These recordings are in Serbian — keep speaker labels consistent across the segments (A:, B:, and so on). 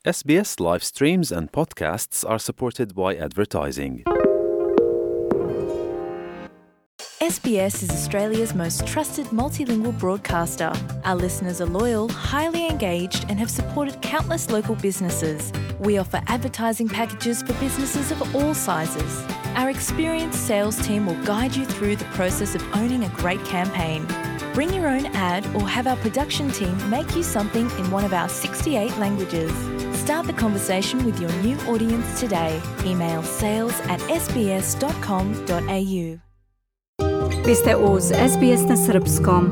A: SBS live streams and podcasts are supported by advertising.
B: SBS is Australia's most trusted multilingual broadcaster. Our listeners are loyal, highly engaged, and have supported countless local businesses. We offer advertising packages for businesses of all sizes. Our experienced sales team will guide you through the process of owning a great campaign. Bring your own ad or have our production team make you something in one of our 68 languages. Start the conversation with your new audience today. Email sales@sbs.com.au.
C: Vi ste uz SBS na srpskom.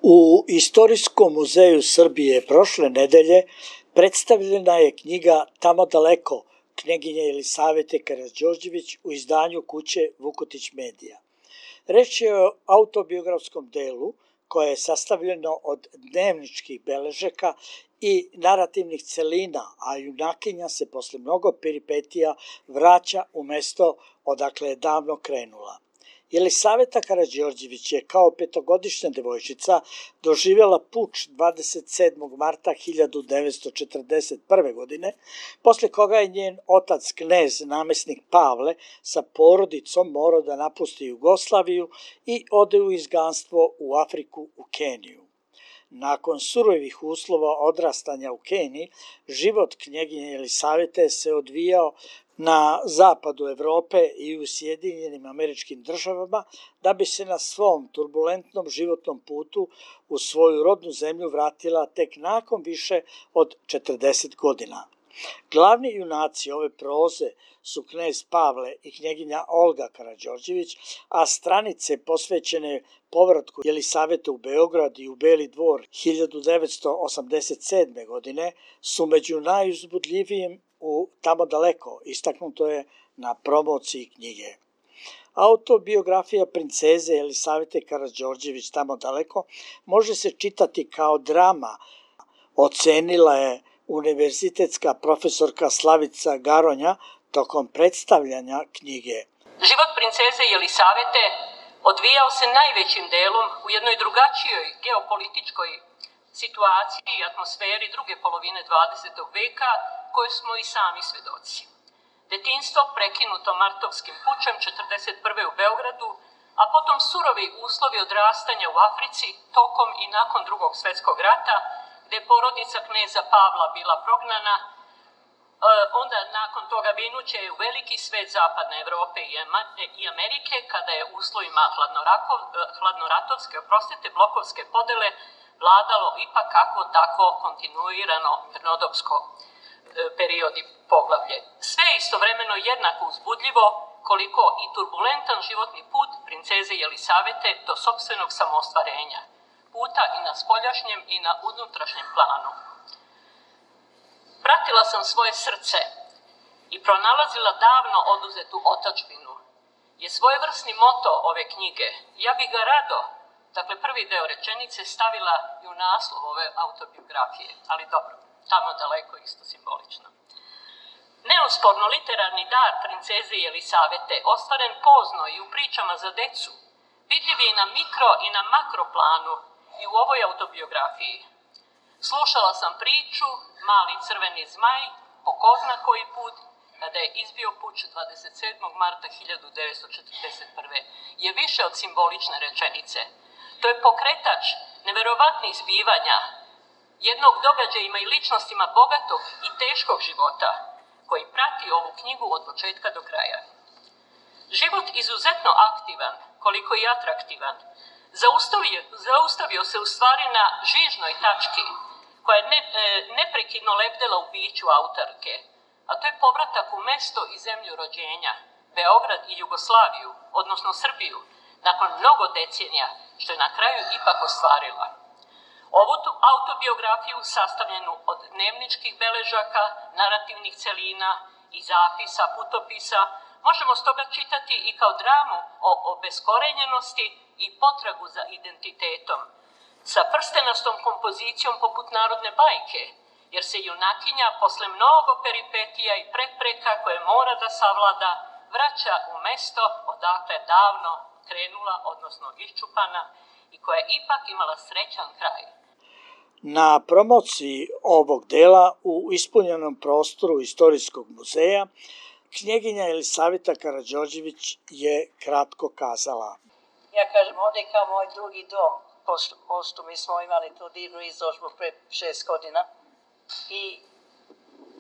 D: U Istorijskom muzeju Srbije prošle nedelje predstavljena je knjiga Tamo daleko, knjeginje Jelisavete Karađorđević u izdanju kuće Vukotić Medija. Reč je o autobiografskom delu koje je sastavljeno od dnevničkih beležaka i narativnih celina, a junakinja se posle mnogo peripetija vraća u mesto odakle je davno krenula. Jelisaveta Karađorđević je kao petogodišnja devojčica doživjela puč 27. marta 1941. godine, posle koga je njen otac knez namesnik Pavle sa porodicom morao da napusti Jugoslaviju i ode u izgnanstvo u Afriku u Keniju. Nakon surovih uslova odrastanja u Keniji, život knjeginje Jelisavete se odvijao na zapadu Evrope i u Sjedinjenim Američkim Državama, da bi se na svom turbulentnom životnom putu u svoju rodnu zemlju vratila tek nakon više od 40 godina. Glavni junaci ove proze su knez Pavle i knjeginja Olga Karađorđević, a stranice posvećene povratku Jelisavete u Beograd i u Beli Dvor 1987. godine su među najuzbudljivijim u Tamo daleko, istaknuto je na promociji knjige. Autobiografija princeze Jelisavete Karađorđević Tamo daleko može se čitati kao drama, ocenila je univerzitetska profesorka Slavica Garonja tokom predstavljanja knjige.
E: Život princeze Jelisavete odvijao se najvećim delom u jednoj drugačijoj geopolitičkoj situaciji i atmosferi druge polovine 20. veka, koje smo i sami svedoci. Detinjstvo prekinuto martovskim pučem 1941. u Beogradu, a potom surovi uslovi odrastanja u Africi tokom i nakon Drugog svjetskog rata, gde je porodica kneza Pavla bila prognana, onda nakon toga vinuće u veliki svet zapadne Evrope i Amerike, kada je uslovima hladnoratovske, blokovske podele vladalo ipak kako tako kontinuirano mirnodopsko period i poglavlje. Sve je istovremeno jednako uzbudljivo koliko i turbulentan životni put princeze Jelisavete do sopstvenog samoostvarenja, puta i na spoljašnjem i na unutrašnjem planu. Pratila sam svoje srce i pronalazila davno oduzetu otadžbinu je svojevrsni moto ove knjige. Ja bih ga rado, dakle prvi deo rečenice, stavila i u naslov ove autobiografije, ali dobro, Tamo daleko isto simbolično. Neosporno literarni dar princeze Jelisavete, ostvaren pozno i u pričama za decu, vidljiv je i na mikro i na makro planu i u ovoj autobiografiji. Slušala sam priču Mali crveni zmaj, po ko zna koji put, kada je izbio puč 27. marta 1941. je više od simbolične rečenice. To je pokretač neverovatnih zbivanja, jednog događajima i ličnostima bogatog i teškog života, koji prati ovu knjigu od početka do kraja. Život izuzetno aktivan, koliko i atraktivan, zaustavio se u stvari na žižnoj tački, koja je neprekidno lebdela u biću autorke, a to je povratak u mesto i zemlju rođenja, Beograd i Jugoslaviju, odnosno Srbiju, nakon mnogo decenija, što je na kraju ipak ostvarila. Ovu autobiografiju, sastavljenu od dnevničkih beležaka, narativnih celina i zapisa, putopisa, možemo stoga čitati i kao dramu o obeskorenjenosti i potragu za identitetom, sa prstenastom kompozicijom poput narodne bajke, jer se junakinja posle mnogo peripetija i prepreka koje mora da savlada, vraća u mesto odakle davno krenula, odnosno iščupana, i koja je ipak imala srećan kraj.
D: Na promociji ovog dela u ispunjenom prostoru Istorijskog muzeja knjeginja Jelisaveta Karađorđević je kratko kazala.
F: Ja kažem, ovdje je kao moj drugi dom. Pošto mi smo imali tu divnu izložbu pre 6 godina. I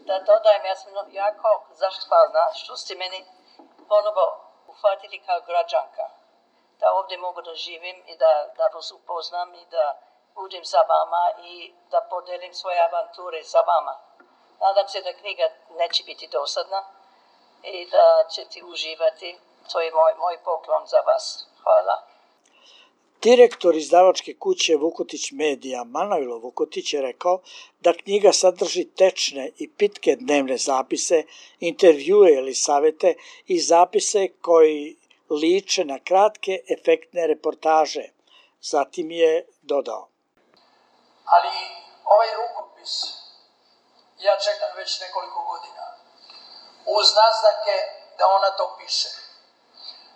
F: da dodajem, ja sam jako zahvalna što ste meni ponovo uhvatili kao građanka. Da ovdje mogu da živim i da vas upoznam i da budem sa vama i da podelim svoje avanture sa vama. Nadam se da knjiga neće biti dosadna i da ćete uživati. To je moj poklon za vas. Hvala.
D: Direktor izdavačke kuće Vukotić Medija, Manojlo Vukotić, je rekao da knjiga sadrži tečne i pitke dnevne zapise, intervjue Jelisavete i zapise koji liče na kratke efektne reportaže. Zatim je dodao.
G: Ali ovaj rukopis ja čekam već nekoliko godina. Uz naznake da ona to piše.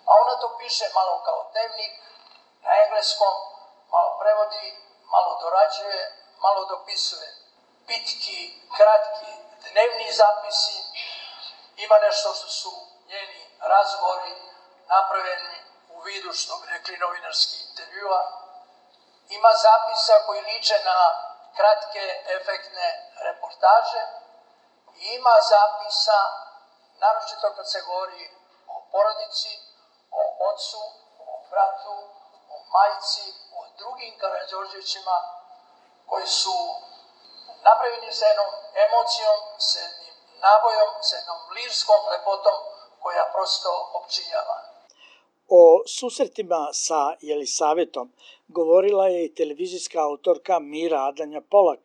G: A ona to piše malo kao dnevnik, na engleskom, malo prevodi, malo dorađuje, malo dopisuje. Pitki, kratki, dnevni zapisi, ima nešto što su njeni razgovori napravljeni u vidu, što bi rekli, novinarski intervjua. Ima zapisa koji liče na kratke, efektne reportaže. I ima zapisa, naročito kad se govori o porodici, o ocu, o bratu, o majci, o drugim Karađorđevićima koji su napravljeni sa jednom emocijom, sa jednim nabojom, sa jednom lirskom lepotom koja prosto opčinjava.
D: O susretima sa Jelisavetom govorila je i televizijska autorka Mira Adanja Polak,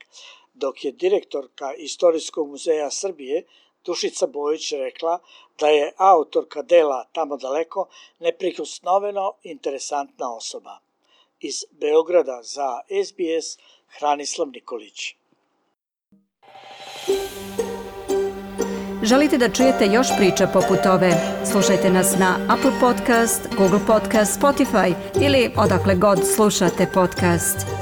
D: dok je direktorka Istorijskog muzeja Srbije Dušica Bojić rekla da je autorka dela Tamo daleko neprikosnoveno interesantna osoba. Iz Beograda za SBS Hranislav Nikolić.
C: Želite da čujete još priča poput ove? Slušajte nas na Apple Podcast, Google Podcast, Spotify ili odakle god slušate podcast.